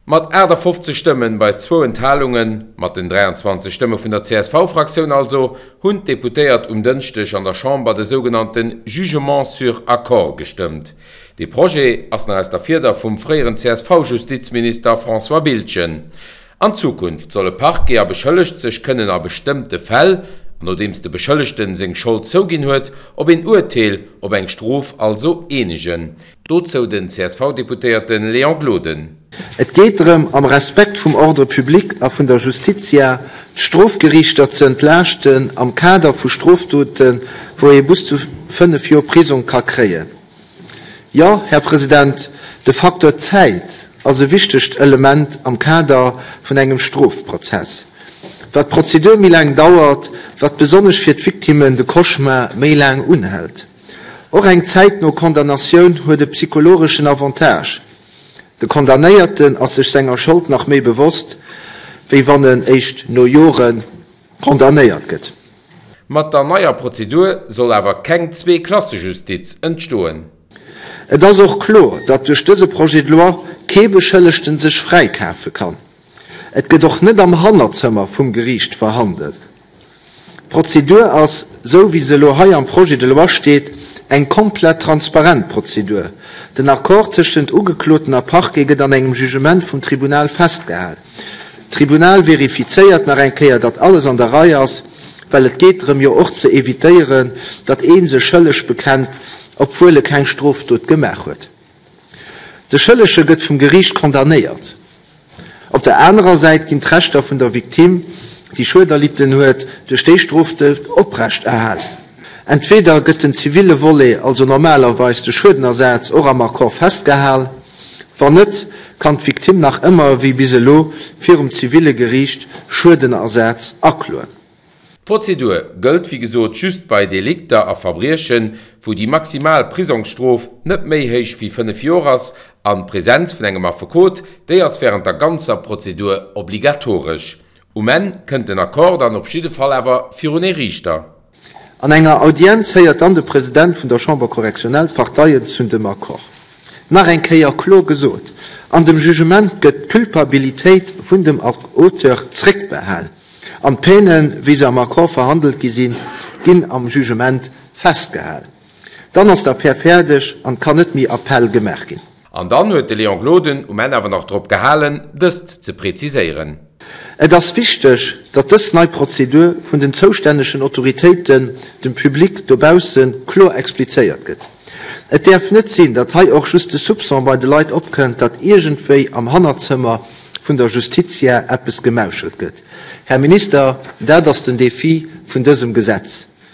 Mat 58 Stëmmen bei zwou Enthalungen, mat den 23 Stëmme vun der CSV-Fraktioun also, hunn d'Deputéiert um Dënschdeg an der Chamber de sougenannte Jugement sur accord gestëmmt. Dee Projet ass nach aus der Fieder vum fréieren CSV-Justizminister François Biltgen. An Zukunft solle Parquet a Beschëllegt sech kënnen a bestëmmte Fäll, an nodeems de Beschëllegten seng Schold zouginn huet, op een Urteel, op eng Strof also, eenegen. Dozou den CSV-Deputéierte Léon Gloden. Et geet drëm, am Respekt vum Ordre public a vun der Justitia, d'Strofgeriichter ze entlaaschten am Kader vu Strofdoten, wou ee bis zu 5 Joer Prisong ka kréien. Jo, Här President, de Facteur Zäit ass e wichtegt Element am Kader vun engem Strofprozess. Wat d'Prozedur méi laang dauert, wat besonnesch fir d'Victimmen de Cauchemar méi laang unhält. Och eng zäitno Condamnatioun huet e psychologeschen Avantage, De Condamnéierten ass sech senger Schold nach méi bewosst, wéi wann en éischt no Jore condamnéiert gëtt. Mat der neier Prozedur soll awer keng Zweeklassejustiz entstoen. Et ass och kloer, datt duerch dëse Projet de loi kee Beschëllegten sech fräikafe kann. Et gëtt och net am Hannerzëmmer vum Geriicht verhandelt. D'Prozedur ass, sou wéi se elo hei am Projet de loi steet, eng komplett transparent Prozedur. Den Accord tëschent Ugekloten a Parquet gëtt an engem Jugement vum Tribunal festgehal. D'Tribunal verifizéiert nach eng Kéier, datt alles an der Rei ass, well et geet drëm jo och ze evitéieren, datt ee sech schëlleg bekennt, obwuel e keng Strofdot gemaach huet. De Schëllege gëtt vum Geriicht condamnéiert. Op der anerer Säit ginn d'Rechter vun der Victime, déi Schued erlidden huet, duerch déi Strofdot oprecht erhalen. Entweder gëtt den ziville Volet, also normalerweis de Schuedenersaz, och am Accord festgehal. Wann net, kann d'Victime nach ëmmer wéi bis elo virum ziville Geriicht Schuedenersaz akloen. D'Prozedur gëllt wéi gesot just bei Delikter a Verbriechen, wou déi maximal Prisongsstrof net méi héich wéi 5 Joer ass an d'Presenz vun engem Affekot, déi ass wärend der ganzer Prozedur obligatoresch. Um Enn kënnt den Accord dann op jidde Fall awer virun ee Riichter. An enger Audienz héiert dann de President vun der Chambre correctionnelle d'Parteien zu dem Accord. Nach eng Kéier kloer gesot, An dem Jugement gëtt d'Culpabilitéit vun dem Auteur zréckbehal. An d'Peinen, wéi se am Accord verhandelt gi sinn, ginn am Jugement festgehal. Dann ass d'Affär fäerdeg an kann net méi Appell gemaach ginn. An dann huet de Léon Gloden um Enn awer nach drop gehalen, dëst ze preziséieren. Et ass wichteg, datt dës nei Prozedur vun den zoustännegen Autoritéiten dem Public dobausse kloer explizéiert gëtt. Et däerf net sinn, datt hei och just de Soupçon bei de Leit opkënnt, datt iergendwéi am Hannerzëmmer vun der Justitia eppes gemauschelt gëtt. Här Minister, dat ass den Défi vun dësem Gesetz.